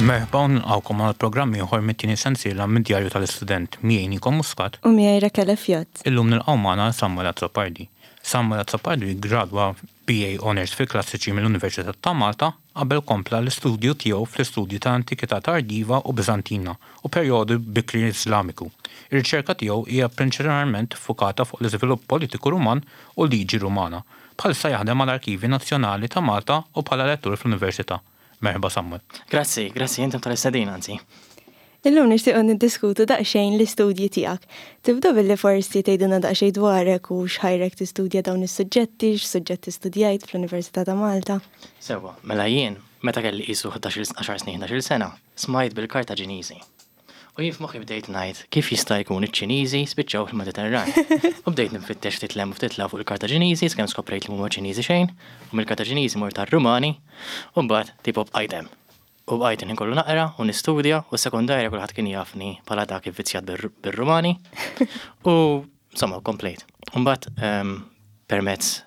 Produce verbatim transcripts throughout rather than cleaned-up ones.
Merħba u nilqgħukom għal programm ieħor mit-tieni sensiela mid-djarju tal-istudent miegħi Nico Muscat. U miegħi Rakele Fjott. Illum nilqgħu magħna Samuel Azzopardi. Samuel Azzopardi gradwa B A Honours fil-Klassiċi mill-Università ta' Malta, qabel kompla l-istudju tiegħu fl-istudju ta' Antikità Tardiva u Bizantina u perjodu bikri Islamiku. Ir-riċerka tiegħu hija prinċipalment fukata fuq l-iżvilupp politiku Ruman u liġi Rumana. Bħalissa jaħdem mal-Arkivi Nazzjonali ta' Malta u bħala lettur fl-Università. Merħba, Samuel. Grazzi, grazzi intom tal-istedina, anzi. Illum nixtiequ niddiskutu daqsxejn l-istudji tiegħek. Tibda billi forsi tgħidilna daqsxejn dwarek u x'ħajrek tistudja dawn is-suġġetti, x'suġġetti studjajt fl-Università ta' Malta. Sewwa, mela jien, meta kelli qisu ħdax-il għaxar snin, ħdax-il sena, smajt bil-Kartaġiniżi. U jien f'moħħi bdejt ngħid kif jista' jkun iċ-Ċiniżi spiċċaw fil-Mediterran. U bdejt nfittex ftit 'l hemm u ftit 'l hawn fuq il-Kartaġiniżi, sakemm skoprejt li mhuma Ċiniżi xejn, u mill-Kartaġiniżi mort tar-Rumani, u mbagħad tipo bqajt hemm. U bqajt inkollu kollu naqra u nistudja, u s-sekondarja kulħadd kien jafni bħala dak ivvizzjat bir-Rumani. U insomma, komplejt. U mbagħad ehm, permezz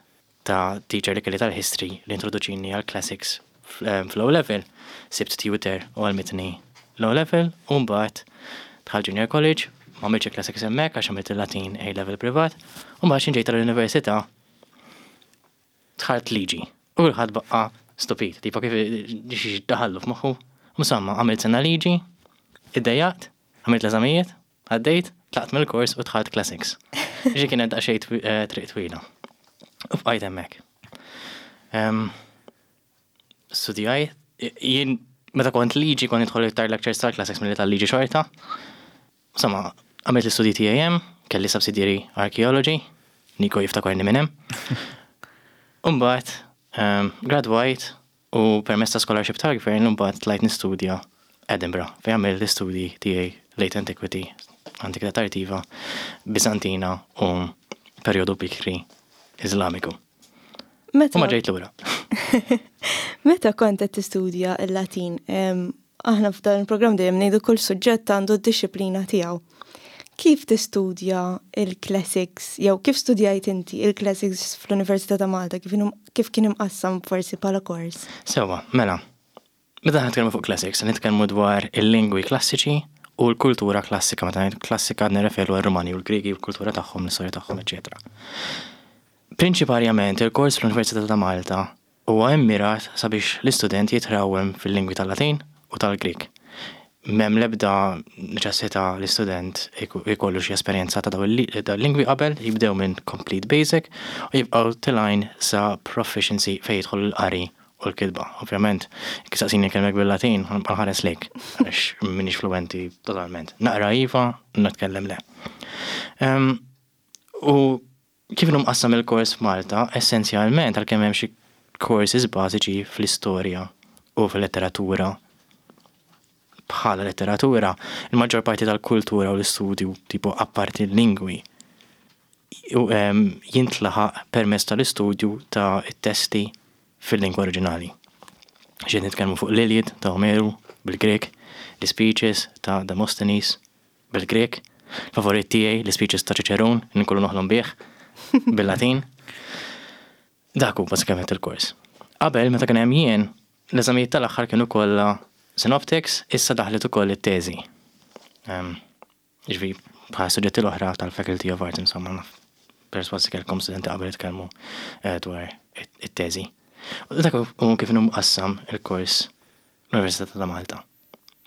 ta' teacher li kelli tal-history li introduċini għal classics fl-O level, sibt tutor u għallmitni l-O level, u mbagħad dħalt junior college, ma għamiltx classics hemmhekk għax għamilt il-Latin A level privat, u mbagħad xi ġejt tal-università dħalt liġi. U kulħadd baqa' stupit, tipo kif xi daħallu f'moħħu. Insomma, għamilt sena liġi, iddejjaqt, għamilt l-eżamijiet, għaddejt, tlaqt mill-kors u dħalt classics. Ġi kienet daqsxejn twi- eh, triq twila. U bqajt hemmhekk. Em, Studjajt, jien meta kont liġi kont nidħol iktar lectures tal-classics milli tal-liġi xorta. Insomma, għamilt l-istudji tiegħi hemm, kelli subsidiary archaeology, Nico jiftakarni minn hemm. Umbagħad, um, gradwajt u permezz ta' scholarship tal-gvern mbagħad tlajt nistudja Edinburgh, fejn għamilt l-istudji tiegħi Late Antiquity, Antikità Tardiva, Bizantina u perjodu bikri Islamiku. Meta U ma ġejt lura. Meta kont qed tistudja l-Latin, em, aħna f'dan il-programm dejjem ngħidu kull suġġett għandu d-dixxiplina tiegħu. Kif tistudja il-classics, jew kif studjajt inti il-classics fl-Università ta' Malta, kif, inhu- kif kien imqassam forsi bħala kors? Sewwa, mela, meta nitkellmu fuq classics, nitkellmu dwar il-lingwi klassiċi u l-kultura klassika. Meta ngħid klassika nirreferu għar-Rumani u l-Griegi u l-kultura tagħhom, l-istorja tagħhom, eċetera. Prinċiparjament il-kors fl-Università ta' Malta huwa immirat sabiex l-istudent jitrawem fil-lingwi tal-Latin u tal-Grieg. M'hemm l-ebda neċessità l-istudent ikollu xi esperjenza ta' dawn il-lingwi qabel, jibdew minn complete basic u jibqgħu telgħin sa proficiency fejn jidħol l-qari u l-kitba. Ovvjament, kif saqsini kelmek bil-Latin, nħares lejk, għax m'iniex fluenti totalment. Naqra iva, nitkellem le. Em, U kif inhu mqassam il-kors f'Malta, essenzjalment għalkemm hemm xi courses bażiċi fl-istorja u fil-letteratura bħala letteratura, il-maġġor parti tal-kultura u l-istudju tipo apparti l-lingwi u, em, jintlaħaq permezz tal-istudju ta' testi fil-lingwa oriġinali. Ġiet nitkellmu fuq l-Iliad ta' Omeru bil-Grek, l-speeches ta' Demosthenes bil-Grek, favorit tiegħi l-speeches ta' Cicerone, nkollu noħlom bih bil-Latin. Dak hu bażikament il-kors. Qabel, meta kien hemm jien, l-eżamijiet tal-aħħar kienu kollha synoptics, issa daħlet ukoll it-teżi. Em, Ġifieri bħal suġġetti l-oħra tal-Faculty of Arts, insomma, naf persważi kellkom studenti qabel jitkellmu eh, dwar it- it-teżi. U dak hu kif inhu mqassam il-kors l-Università ta' Malta.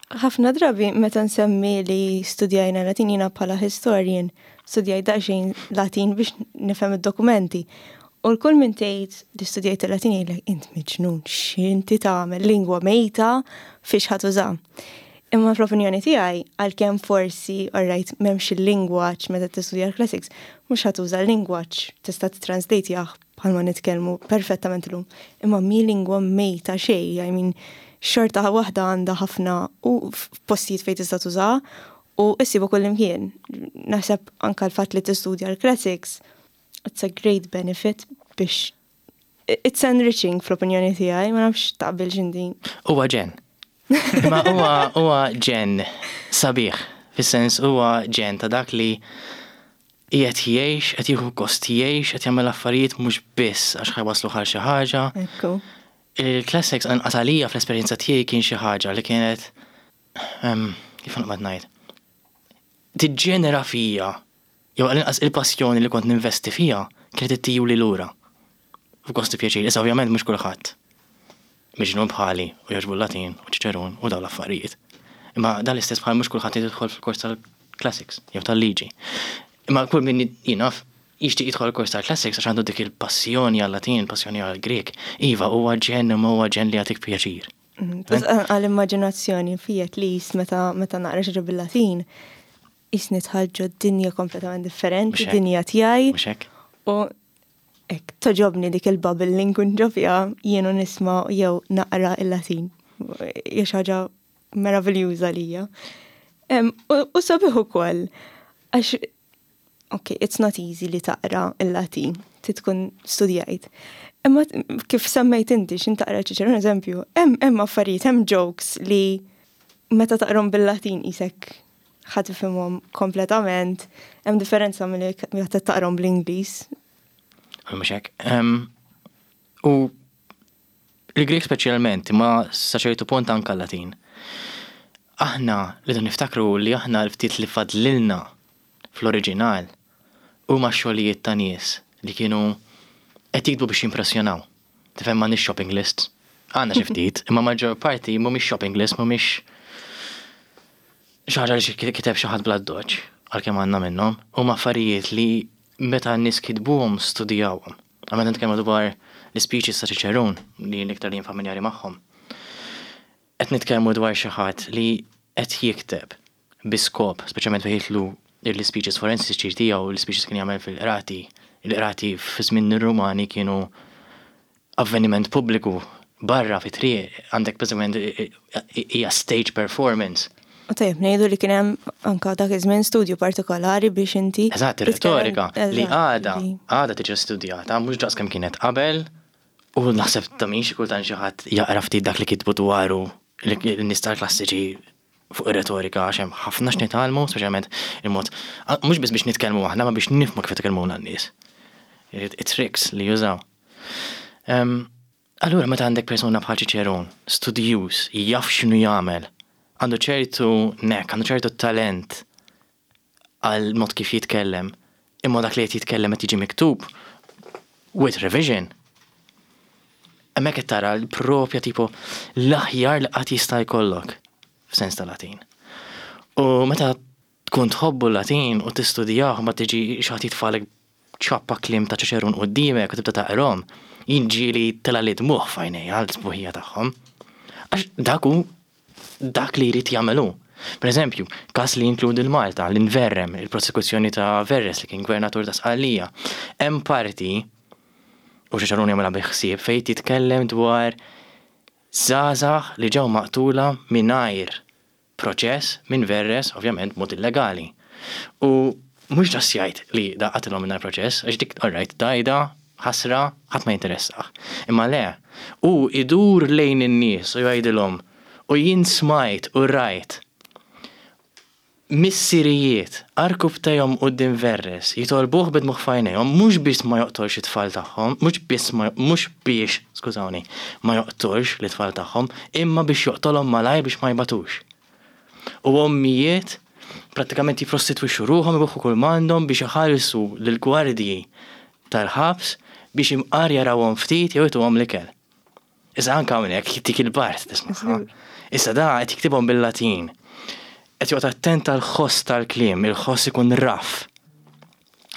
Ħafna drabi meta nsemmi li studjajna Latin, jiena bħala historian, studjajt daqsxejn Latin biex nifhem id-dokumenti. U l-kull minn tgħid li studjajt il-Latin jgħidlek, "Int miġnun, x'inti tagħmel, lingwa mejta, fiex ħa tuża?" Imma fl-opinjoni tiegħi, għalkemm forsi, alright, m'hemmx il-lingwaġġ meta tistudja l-classics, mhux ħa tuża l-lingwaġġ, tista' titranslate bħalma nitkellmu perfettament illum. Imma mi lingwa mejta xejn, I mean, xorta waħda għandha ħafna u postijiet fejn tista' tuża u issibu kull imkien. Naħseb anka l-fatt li tistudja l-classics, it's a great benefit biex it's enriching fl-opinjoni tiegħi, ma nafx taqbel x'indi. Huwa ġenn. Imma huwa huwa ġenn sabiħ, fis-sens huwa ġenn ta' dak li qiegħed jgħix, qed jieħu gost jgħix, qed jagħmel affarijiet mhux biss għax ħa jwasslu għal xi ħaġa. Ekku. Il-classics anqas għalija fl-esperjenza tiegħi kien xi ħaġa li kienet Kif naqbad ngħid? Tiġġenera fija, jew għal-inqas il-passjoni li kont ninvesti fija, kienet ittihuli lura. F'gost u pjaċir, issa ovvjament mhux kulħadd miġnun bħali u jogħġbu l-Latin u Ċiċerun u dawn l-affarijiet. Imma dan l-istess bħal mhux kulħadd jidħol fil-kors tal-classics jew tal-liġi. Imma kull min jien naf jixtieq jidħol il-kors tal-classics għax għandu dik il-passjoni għal-Latin, il-passjoni għal-Grek. Iva, huwa ġenn imma huwa ġenn li jagħtik pjaċir. Għal-immaġinazzjoni fija at least meta meta naqra xi bil-Latin, qisni dħalt ġo dinja kompletament differenti, Mhux hekk. dinja tiegħi. Mhux hekk? U hekk togħġobni dik il-bubble li nkun ġo fiha jien u nisma' jew naqra il-Latin. Hija xi ħaġa meraviljuża lija. Em, U u sabiħ ukoll għax ok, it's not easy li taqra il-Latin, ti tkun studjajt. Imma t- kif semmejt inti xin taqra Ċiċerun eżempju, hemm hemm affarijiet, hemm jokes li meta taqrom bil-Latin qisek ħa tifhimhom kompletament, hemm differenza milli meta taqrom bl-Ingliż. Mhux hekk. Em, U il-Grek speċjalment, ma sa ċertu punt anka l-Latin. Aħna li niftakru li aħna l-ftit li fadlilna fl-oriġinal huma xogħlijiet ta' nies li kienu qed jiktbu biex jimpressjonaw. Tifhem, m'għandniex shopping list. Għandna xi ftit, imma maġġor parti mhumiex shopping list, mhumiex xi ħaġa li xi kiteb xi ħadd bl-addoċċ, għalkemm għandna minnhom, huma affarijiet li meta n-nies kitbuhom studjawhom. Għamma nitkellmu dwar l-speeches ta' Ċiċerun li l-iktar li jien familjari magħhom. Qed nitkellmu dwar xi ħadd li qed jikteb bi skop, speċjalment fejn jidħlu l-speeches forensiċi tiegħu, l-speeches kien jagħmel fil-qrati. Il-qrati fi żmien ir-Rumani kienu avveniment pubbliku barra fi triq, għandek bażikament hija stage performance. U tajjeb ngħidu li kien hemm anka dak iż-żmien studju partikolari biex inti Eżatt, ir-retorika li Eżatt, għada, li- għada tiġi studjata, mhux daqs kemm kienet qabel, u naħseb ta' min xi kultant xi ħadd jaqra ftit dak li kitbu dwaru l-nies tal-klassiċi fuq ir-retorika, għax hemm ħafna x'nitgħallmu, speċjalment il-mod, mhux biss biex nitkellmu aħna, ma biex nifhmu kif jitkellmuna n-nies. It-tricks li jużaw. Em, Allura meta għandek persuna bħal Ċiċerun, studjuż, jaf x'inhu jagħmel, għandu ċertu knack, għandu ċertu talent għal mod kif jitkellem, imma dak li qed jitkellem qed jiġi miktub with revision. Hemmhekk qed tara l-propja tipo l-aħjar li qatt jista' jkollok f'sens ta' Latin. U meta tkun tħobbu l-Latin u tistudjah, ma tiġi xi ħadd jitfagħlek ċappa kliem ta' Ċiċerun quddiemek u tibda taqrahom, jiġi telgħali d-dmugħ f'għajnejja għal sbuħija tagħhom. Għax dak hu dak li jrid jagħmelu. Per eżempju, kas li jinkludi l-Malta, l-Inverrem, il-prosekuzzjoni ta' Verres li kien gvernatur ta' Sqallija. Hemm parti, u Ċiċerun jagħmilha bi ħsieb, fejn titkellem dwar żgħażagħ li ġew maqtula mingħajr proċess minn Verres, ovvjament mod illegali. U mhux ġas jgħid li da qatilhom mingħajr proċess, għax dik alright, dajda, ħasra, ħadd ma jinteressah. Imma le, u idur lejn in-nies u jgħidilhom, u jien smajt u rajt missirijiet għarkupptejhom quddiem Verres jitolbuh bid-dmugħ f'għajnejhom mhux biex ma joqtolx it-tfal tagħhom, mhux biss ma mhux biex, skużawni, ma joqtolx l-tfal tagħhom, imma biex joqtolhom malajr biex ma jbatux. U ommijiet prattikament jiprostitwixxu ruħhom, ibigħu kull m'għandhom biex iħallsu lill-gwardji tal-ħabs biex imqar jarawhom ftit jew ituhom l-ikel. Issa anke hawnhekk dik il-part tisma'. Issa da qed jiktibhom bil-Latin. Qed joqgħod attent għall-ħoss tal-kliem, il-ħoss ikun raff.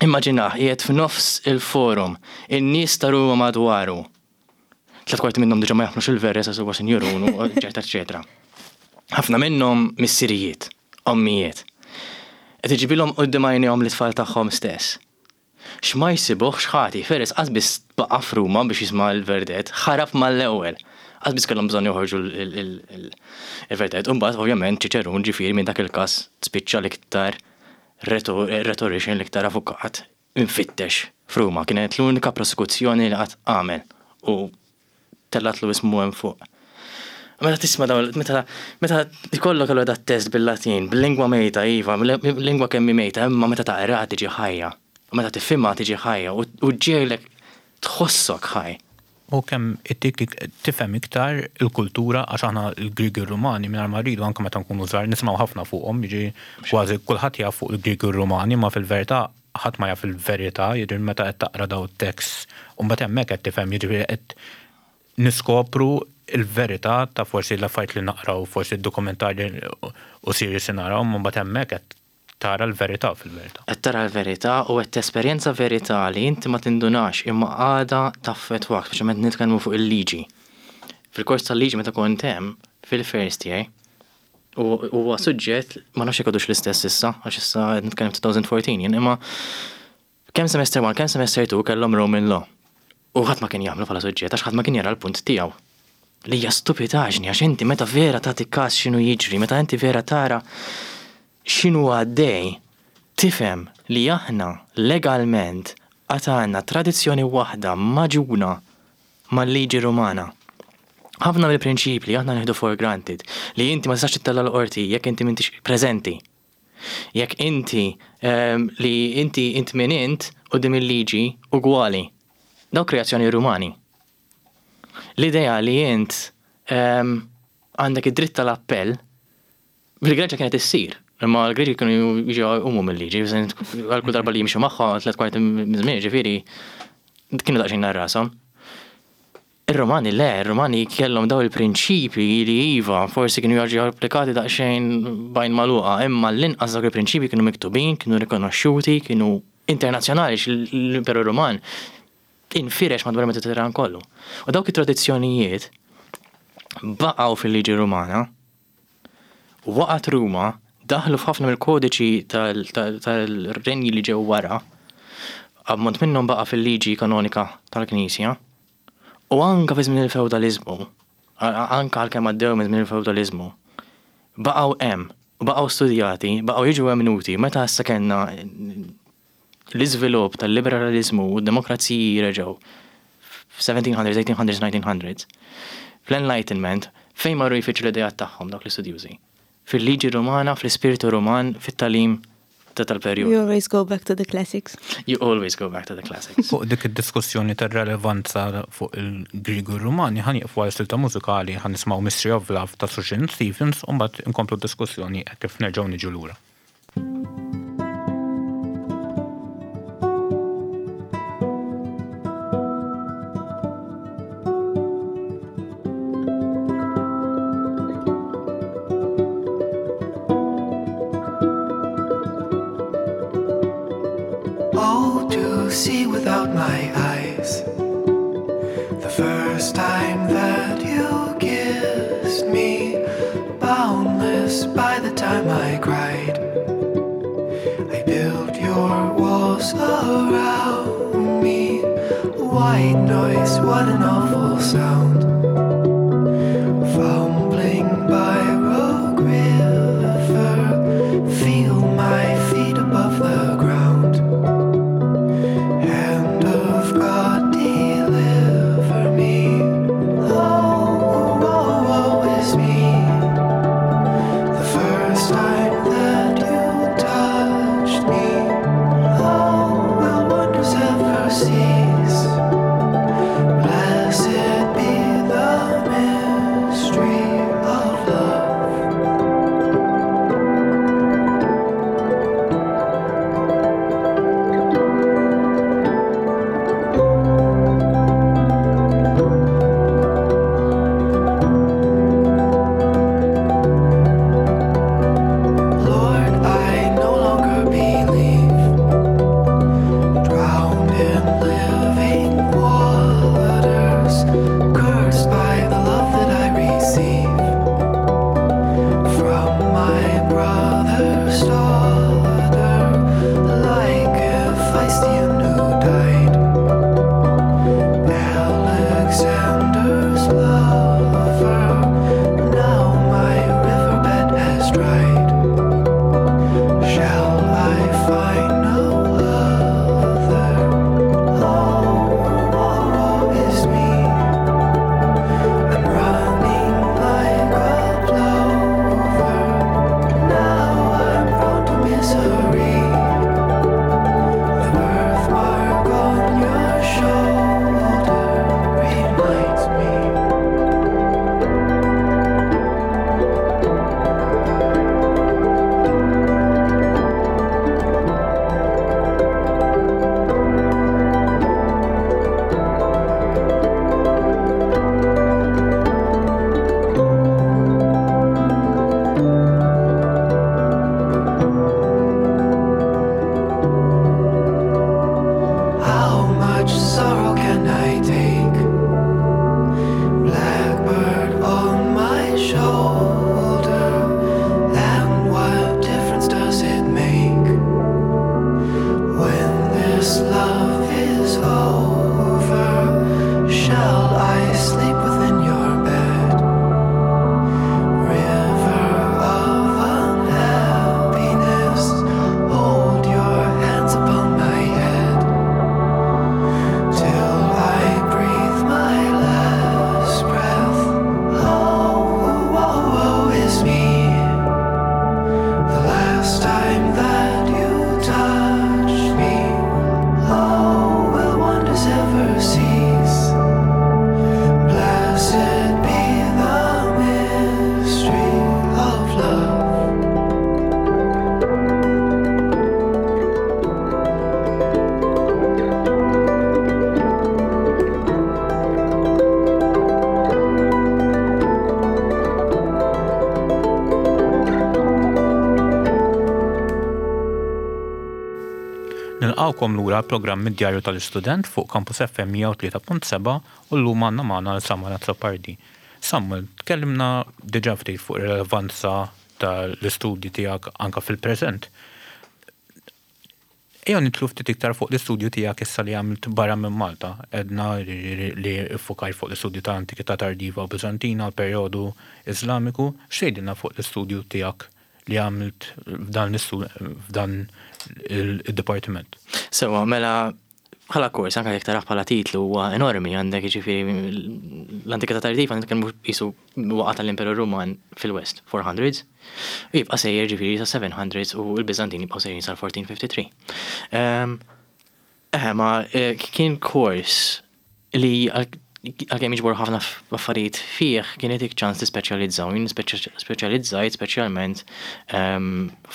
Immaġinah, qiegħed f'nofs il-forum, in-nies ta' Ruma madwaru. Tliet kwarti minnhom diġà ma jaħmlux il-Verres għax huwa sinjurun, eċetera, eċetera. Ħafna minnhom missirijiet, ommijiet. Qed iġibilhom quddiem għajnejhom l-itfal tagħhom stess. X'ma jsibuhx ħati, Verres qas biss baqa' f'Ruma biex jisma' l-verdett, ħarab mal-ewwel. Qas biss kellhom bżonn joħorġu il-verdett. U mbagħad ovvjament Ċiċerun, ġifieri, minn dak il-każ spiċċa l-iktar rhetorician, l-iktar avukat infittex f'Ruma. Kienet l-unika prosekuzzjoni li qatt għamel u tellatlu ismu hemm fuq. Meta tisma' dawn, meta meta ikollok allura dat test bil-Latin, bil-lingwa mejta, iva, lingwa kemm mejta, imma meta taqra tiġi ħajja. U meta tifhimha tiġi ħajja u ġiegħlek tħossok ħaj. U kemm ittik tifhem iktar il-kultura, għax aħna l-Griegi Rumani mingħajr ma rridu, anke meta nkunu żgħar, nisimgħu ħafna fuqhom, jiġi kważi kulħadd jaf fuq il-Griegi Rumani, ma fil-verità ħadd ma jaf il-verità, jiġri meta qed taqra daw it-tekst u mbagħad hemmhekk qed tifhem, jiġifieri qed niskopru il-verità ta' forsi l-affarijiet li naqraw, forsi d-dokumentarji u series li naraw, ma mbagħad hemmhekk qed tara l-verità fil-verità. Qed tara l-verità u qed tesperjenza verità li inti ma tindunax imma għada taffettwak, speċjalment nitkellmu fuq il-liġi. Fil-kors tal-liġi meta kont hemm fil-first year, u huwa suġġett, ma nafx jekk għadux l-istess issa, għax issa qed nitkellem elfejn u erbatax jien, imma kemm semester one, kemm semester two kellhom Roman Law. U ħadd ma kien jagħmlu bħala suġġett għax ħadd ma kien jara l-punt tiegħu. Li hija stupidaġni, għax inti meta vera tagħti każ x'inhu jiġri, meta inti vera tara x'inhu għaddej, tifhem li aħna legalment għad għandna tradizzjoni waħda magħġuna mal-liġi Rumana. Ħafna mill-prinċipli aħna nieħdu for granted, li inti ma tistax tittella l-qorti jekk inti m'intix preżenti. Jekk inti ehm, li inti int min int quddiem il-liġi ugwali. Daw kreazzjoni Rumani. L-idea li int ehm, għandek id-dritt tal-appell, bil-Greċja kienet issir. Imma l-Greċi kienu jiġu umu mill-liġi, għal kull darba li jimxu magħha tliet kwarti minn ġifieri kienu daqsxejn rashom. Ir-Romani le, ir-Romani kellhom daw il-prinċipi li iva, forsi kienu jiġu applikati daqsxejn b'għajn magħluqa, imma l-inqas dawk il-prinċipi kienu miktubin, kienu rikonoxxuti, kienu internazzjonali, l-Imperu Roman infirex madwar il-Mediterran kollu. U dawk it-tradizzjonijiet baqgħu fil-liġi Rumana, waqgħet Ruma, daħlu f'ħafna mill-kodiċi tal-renji li ġew wara, ammont minnhom baqa' fil-liġi kanonika tal-Knisja, u anka fi żmien il-feudalizmu, anka għalkemm għaddew minn żmien il-feudalizmu, baqgħu hemm, baqgħu studjati, baqgħu jiġu emmnuti. Meta issa kellna l-iżvilupp tal-liberalizmu u d-demokraziji reġgħu f-seventeen hundreds, eighteen hundreds, nineteen hundreds, fl-Enlightenment, fejn marru jfittxu l-idejat tagħhom dawk l-istudjużi? Fil-liġi Romana, fl-ispirtu Roman, fit-tagħlim ta' tal-perjodu. You always go back to the classics. You always go back to the classics. Fuq dik id-diskussjoni tar-relevanza fuq il-Griegu Rumani ħa nieqfu għal silta mużikali, ħa nisimgħu Mystery of Love ta' Sufjan Stevens u mbagħad inkomplu d-diskussjoni kif nerġgħu niġu lura. Oh, to see without my eyes. The first time that you kissed me, boundless by the time I cried. I built your walls around me. White noise, what an awful sound. Fumbling by Rogue River, feel my feet above the ground. Hand of God, deliver me. Oh, oh, woe is me. The first time that you touched me, oh, will wonders ever cease? Blessed be Nilqgħukom lura l-programm id-Djarju tal-Istudent fuq Campus F M mija u tlieta punt sebgħa u llum għandna magħna lil Samuel Azzopardi. Samuel, tkellimna diġà ftit fuq ir-relevanza tal-istudji tiegħek anka fil-preżent. Ejja nidħlu ftit iktar fuq l-istudju tiegħek issa li għamilt barra minn Malta. Għedna li ffukajt fuq l-istudju ta' Antikità Tardiva u Bizantina, l-perjodu Iżlamiku. X'tgħidilna fuq l-istudju tiegħek li għamilt f'dan f'dan il-dipartiment? Sewa, mela, bħala kors, anka jekk tarah bħala titlu, huwa enormi. Għandek jiġifieri l-Antikità Tardiva, nitkellmu qisu waqgħa tal-Imperu Ruman fil-West, four hundreds, u jibqa' sejjer ġifieri sa seven hundreds u l-Biżantin jibqgħu sejrin sal-elf u erba' mija u tlieta u ħamsin. Eh, ma eh, kien kors li għalkemm jiġbor ħafna affarijiet fih, kien jtik ċans tispeċjalizzaw. Jien speċjalizzajt speċjalment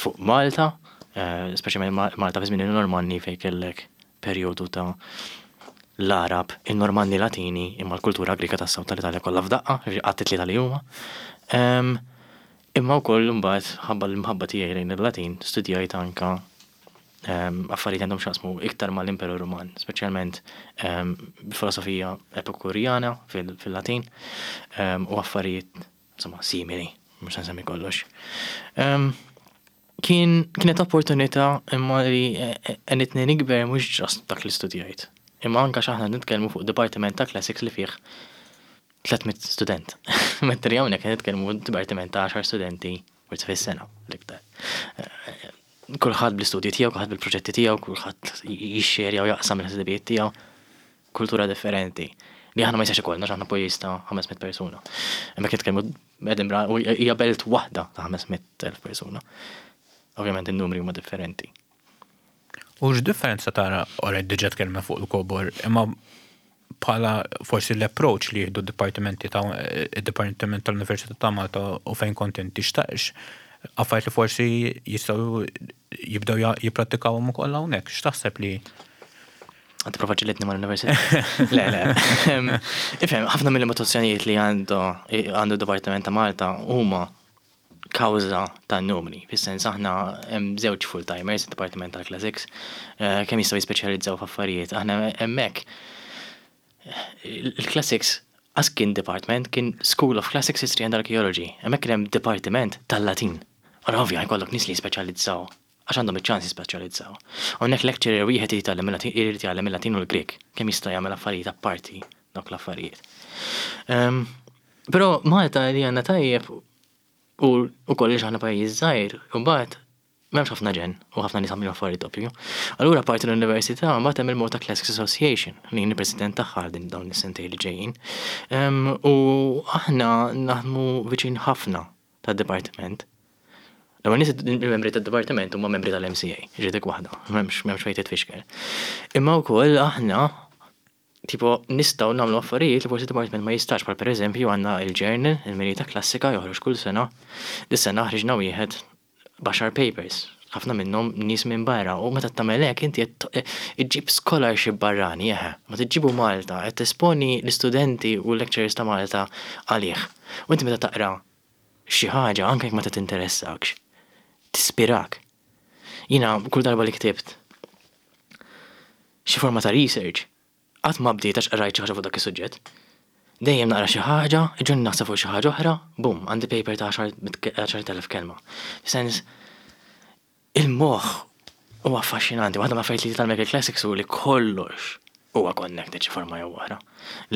fuq Malta, eh, speċjalment Malta fi żmien il-Normanni, fejn kellek perjodu ta' l-Arab, il-Normanni Latini, imma l-kultura Grika tas South tal-Italja kollha f'daqqa, għat tlieta li huma. Imma wkoll imbagħad, ħabba l-imħabba tiegħi lejn il-Latin, studjajt anka affarijiet għandhom x'jaqsmu iktar mal-Imperu Ruman, speċjalment filosofija epikurjana fil-Latin u affarijiet insomma simili, mhux nsemmi kollox. Kien kienet opportunità imma li għenitni nikber mhux just dak li studjajt. Imma anka x'aħna nitkellmu fuq Dipartiment ta' Classics li fih tliet mitt student. Mentri hawnhekk nitkellmu dipartiment ta' għaxar studenti forsi fis-sena l-iktar. Kulħadd bl-istudji tiegħu, kulħadd bil-proġetti tiegħu, kulħadd jixxerja u jaqsam il-ħsibijiet tiegħu. Kultura differenti. Li aħna ma jistax ikollna, aħna pajjiż ta' ħames mitt persuna. Imma nitkellmu Edinburgh u hija belt waħda ta' ħames mitt elf persuna. Ovvjament in-numri huma differenti. U x'differenza tara, ora diġà tkellma fuq il-kobor, imma bħala forsi l-approach li jieħdu d-dipartimenti ta' id-Dipartiment tal-Università ta' Malta u fejn kont inti, xtaqx affarijiet li forsi jistgħu jibdew jipprattikawhom ukoll hawnhekk? X'taħseb li Għad tipprova ġġilidni mal-università? Le, le. Ifhem, ħafna mill-limitazzjonijiet li għandu għandu Dipartiment ta' Malta huma kawża ta' numri. Fis-sens aħna hemm żewġ full-timers id-Dipartiment tal-Classics, eh, kemm jistgħu jispeċjalizzaw f'affarijiet. Aħna hemmhekk il-Classics as kien department, kien School of Classics, History and Archaeology. Hemmhekk kien hemm Dipartiment tal-Latin. Ora ovvja jkollok nies li jispeċjalizzaw għax għandhom iċ-ċans jispeċjalizzaw. Hawnhekk lecturer wieħed jitgħallem il-Latin, irid jgħallem il-Latin u l-Grek, kemm jista' jagħmel affarijiet apparti dawk l-affarijiet. Ehm, Però Malta li għandna tajjeb u ukoll li aħna pajjiż żgħir, u mbagħad m'hemmx ħafna ġen u ħafna nies għamlu affarijiet doppju. Allura parti l-università mbagħad hemm il-Malta Classics Association li jien il-president tagħha din dawn is-sentejn li ġejjin. Ehm, U aħna naħdmu viċin ħafna tad-dipartiment. L-ewwel nies, il-membri tad-dipartiment huma membri tal-M C A, ġidik waħda, m'hemmx m'hemmx fejn titfixkel. Imma wkoll aħna tipo nistgħu nagħmlu affarijiet li forsi department ma jistax, bħal pereżempju għandna il-journal, il-Mirita Klassika, joħroġ kull sena. Dis-sena ħriġna wieħed b'għaxar papers, ħafna minnhom nies minn barra, u meta tagħmel hekk inti qed iġġib scholarship barrani, eħe, ma tiġibu Malta, qed tesponi l-istudenti u l-lecturers ta' Malta għalih. U inti meta taqra xi ħaġa, anke jekk ma tinteressakx, tispirak. Jiena kull darba li ktibt xi forma ta' research, qatt ma bdiet għax qrajt xi ħaġa fuq dak is-suġġett. Dejjem naqra xi ħaġa, iġun naħseb fuq xi ħaġa oħra, bum, għandi paper ta' għaxart elef kelma. Sens, il-moħħ huwa affaxxinanti, waħda mill-affarijiet li tal Classics u li kollox huwa connected xi forma jew oħra.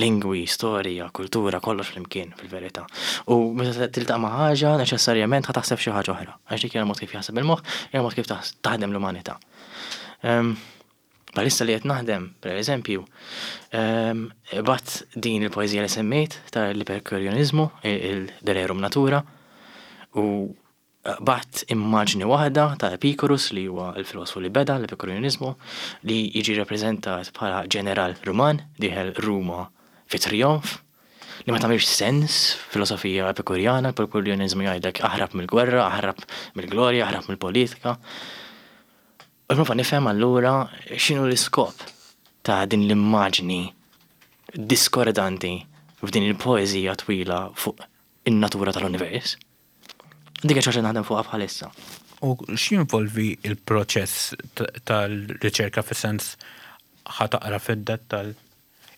Lingwi, storja, kultura, kollox flimkien fil-verità. U meta tiltaqa' ma' ħaġa, neċessarjament ħa taħseb xi ħaġa oħra. Għax dik hija mod kif jaħseb il-moħħ, hija mod kif taħdem l-umanità. Bħalissa li qed naħdem, per eżempju, bgħatt din il-poeżija li semmejt tal-Epikurjaniżmu, il-De Rerum Natura, u bgħatt immaġni waħda ta' Epikurus, li huwa l-filosofu li beda l-Epikurjaniżmu, li jiġi rappreżentat bħala ġeneral Ruman dieħel Ruma fi trionf, li ma tagħmilx sens filosofija epikurjana. L-Epikurjaniżmu jgħidlek aħrab mill-gwerra, aħrab mill-glorja, aħrab mill-politika. U nipprova nifhem allura x'inhu l-iskop ta' din l-immaġni diskordanti f'din il-poeżija twila fuq in-natura tal-univers. Dik xi naħdem fuqha bħalissa. U x'jinvolvi il-proċess tal-riċerka, fis-sens ħa taqra fid-dettal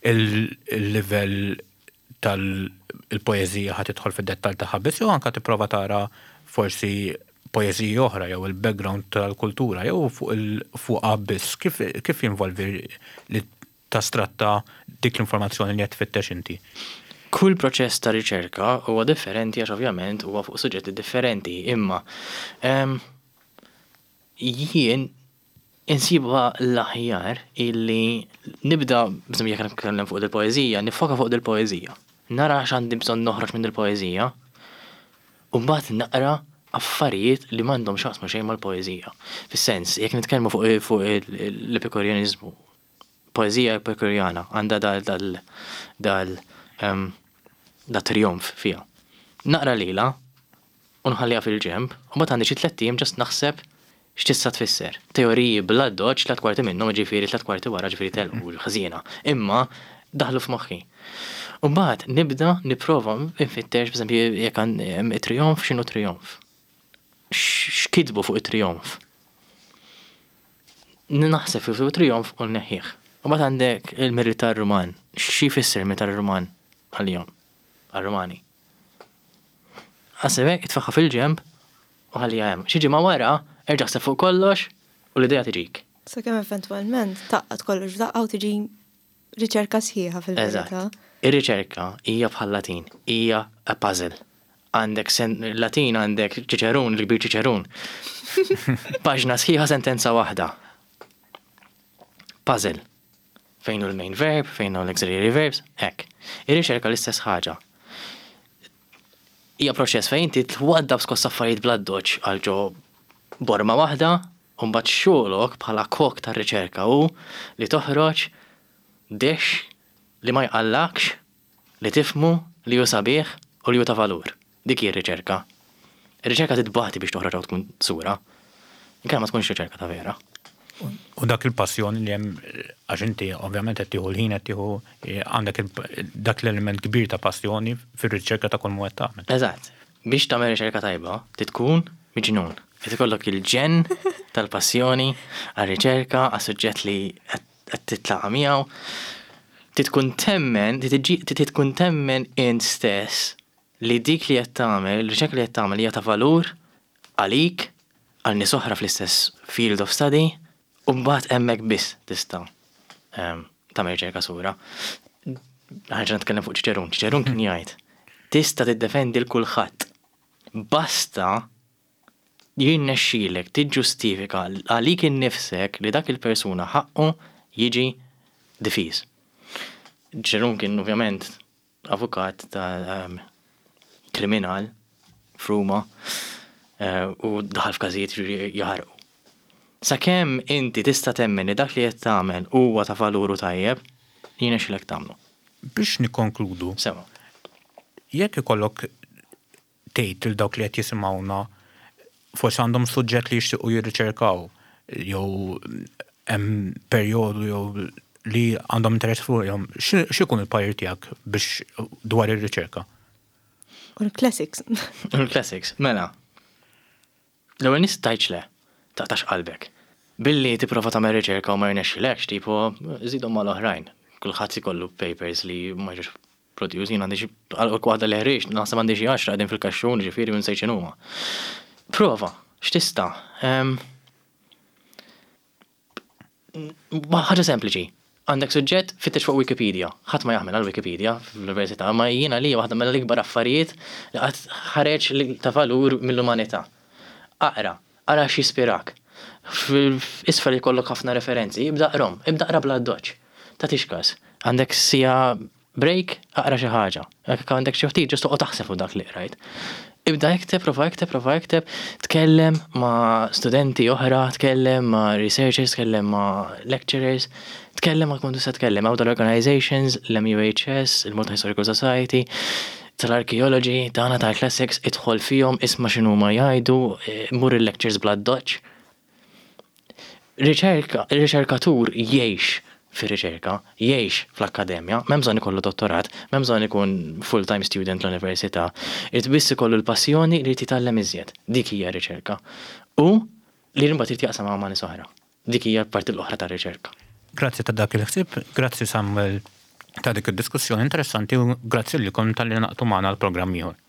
il-livell tal-poeżija, ħa tidħol fid-dettal tagħha biss jew anka tipprova tara forsi poeżiji oħra jew il-background tal-kultura jew fuq il-fuqha biss, kif kif jinvolvi li tastratta dik l-informazzjoni li qed tfittex inti? Kull proċess ta' riċerka huwa differenti għax ovvjament huwa fuq suġġetti differenti, imma em, jien insibha l-aħjar illi nibda, bżonn jekk nitkellem fuq il-poeżija, nifoka fuq il-poeżija. Nara x'għandi bżonn noħroġ minn il-poeżija, u mbagħad naqra affarijiet li m'għandhom x'jaqsmu xejn mal-poeżija. Fis-sens, jekk nitkellmu fuq fuq l-epikurjanizmu, poeżija epikurjana għandha dal dal dal em, da trionf fiha. Naqra lila u nħalliha fil-ġemb, u mbagħad għandi xi tlett ijiem just naħseb x'tista' tfisser. Teoriji bla doċ, tliet kwarti minnhom, ġifieri tliet kwarti wara, ġifieri telqu ħażiena. Imma daħlu f'moħħi. U mbagħad nibda nipprova nfittex, b'eżempju, jekk hemm it-trionf, x'inhu trionf? X'kitbu fuq it-trionf? Naħseb fuq it-trionf u nneħħih. U mbagħad għandek il-militar Ruman. Xi jfisser il-militar Ruman għalihom? Għal-Rumani. Għasebek, itfaħħa fil-ġemb u ħallija hemm. Xi ġimgħa wara, erġa' ħseb fuq kollox u l-idea tiġik. Sakemm eventwalment tgħaqqad kollox f'daqqa u tiġi riċerka sħiħa fil-verità. Eżatt. Ir-riċerka hija bħal Latin, hija a puzzle. Għandek sen Latin, għandek Ċiċerun, il-kbir Ċiċerun. Paġna sħiħa, sentenza waħda. Puzzle. Fejn hu l-main verb, fejn hu l-auxiliary verbs, hekk. Ir-riċerka l-istess ħaġa. Hija proċess fejn inti twaddab skoss affarijiet bla doċ għal ġo borma waħda, u mbagħad xogħolok bħala kok tar-riċerka hu li toħroġ dish li ma jqallakx, li tifhmu, li hu sabiħ u li hu ta' valur. Dik hi r-riċerka. Ir-riċerka titbati biex toħroġ u tkun sura. Inkella ma tkunx riċerka ta' vera. U dak il-passjoni li hemm, għax inti ovvjament qed tieħu l-ħin, qed tieħu għandek il- dak l-element kbir ta' passjoni fir-riċerka ta' kull mod tagħmel. Eżatt. Biex tagħmel riċerka tajba, titkun miġnun. Qed ikollok il-ġenn tal-passjoni għar-riċerka, għas-suġġett li qed titlaqa' miegħu. Titkun temmen, titkun temmen int stess li dik li qed tagħmel, il-riċerka li qed tagħmel hija ta' valur għalik, għal nies oħra fl-istess field of study, u mbagħad hemmhekk biss tista' em, tagħmel riċerka sura. Ħaġa nitkellem fuq Ċiċerun. Ċiċerun kien jgħid, tista' tiddefendi l kulħadd. Basta jirnexxilek tiġġustifika għalik innifsek li dak il-persuna ħaqqu jiġi difiż. Ċiċerun kien ovvjament avukat ta' um, kriminal f'Ruma eh, u daħal f'każijiet jaħarqu. Sakemm inti tista' temmen li dak li qed tagħmel huwa ta' valuru tajjeb, jirnexxilek tagħmlu. Biex nikkonkludu, Sewa. jekk ikollok tgħid lil dawk li qed jisimgħuna, forsi għandhom suġġett li jixtiequ jirriċerkaw jew hemm perjodu jew li għandhom interess fuqhom, x'ikun il-parir tiegħek biex dwar ir-riċerka? U l-classics. Il-classics, mela. L-ewwel nett tgħidx le, taqtax qalbek. Billi tipprova tagħmel riċerka u ma jirnexxilekx, tipo żidhom mal-oħrajn. Kulħadd ikollu papers li ma jiġux produced, jien għandi xi waħda li ħriġt, naħseb għandi xi għaxra qegħdin fil-kaxxun, ġifieri minn sejt x'inhuma. Prova, x'tista'. Em, ħaġa sempliċi. Għandek suġġett, fittex fuq Wikipedia. Ħadd ma jaħmel għal Wikipedia fl-università, ma jiena li waħda mill-ikbar affarijiet li qatt ħareġ li ta' valur mill-umanità. Aqra, ara x'jispirak. Isfel ikollok ħafna referenzi, ibda aqrahom, ibda aqra bla doċ. Tagħtix kas. Għandek siegħa break, aqra xi ħaġa. Jekk għandek xi ftit, just toqgħod taħseb fuq dak li qrajt. Ibda ikteb, prova ikteb, prova ikteb, tkellem ma' studenti oħra, tkellem ma' researchers, tkellem ma' lecturers, tkellem ma' kun tista' tkellem ma' l-organizations, l-M U H S, il-Malta Historical Society, tal-archaeology, tagħna tal-classics, idħol fihom, isma' x'inhu ma jgħidu, eh, mur il-lectures bla doċ. Riċerka, il-riċerkatur jgħix fir-riċerka, jgħix fl-akkademja, m'hemm bżonn ikollu dottorat, m'hemm bżonn ikun full-time student l-università, irid biss ikollu l-passjoni li jitgħallem iżjed. Dik hija riċerka. U li mbagħad irid jaqsam ma' nies oħra. Dik hija l-parti l-oħra tar-riċerka. Grazzi ta' dak il-ħsieb, grazzi Samuel ta' dik id-diskussjoni interessanti u grazzi lilkom talli ngħaqadtu magħna l-programm ieħor.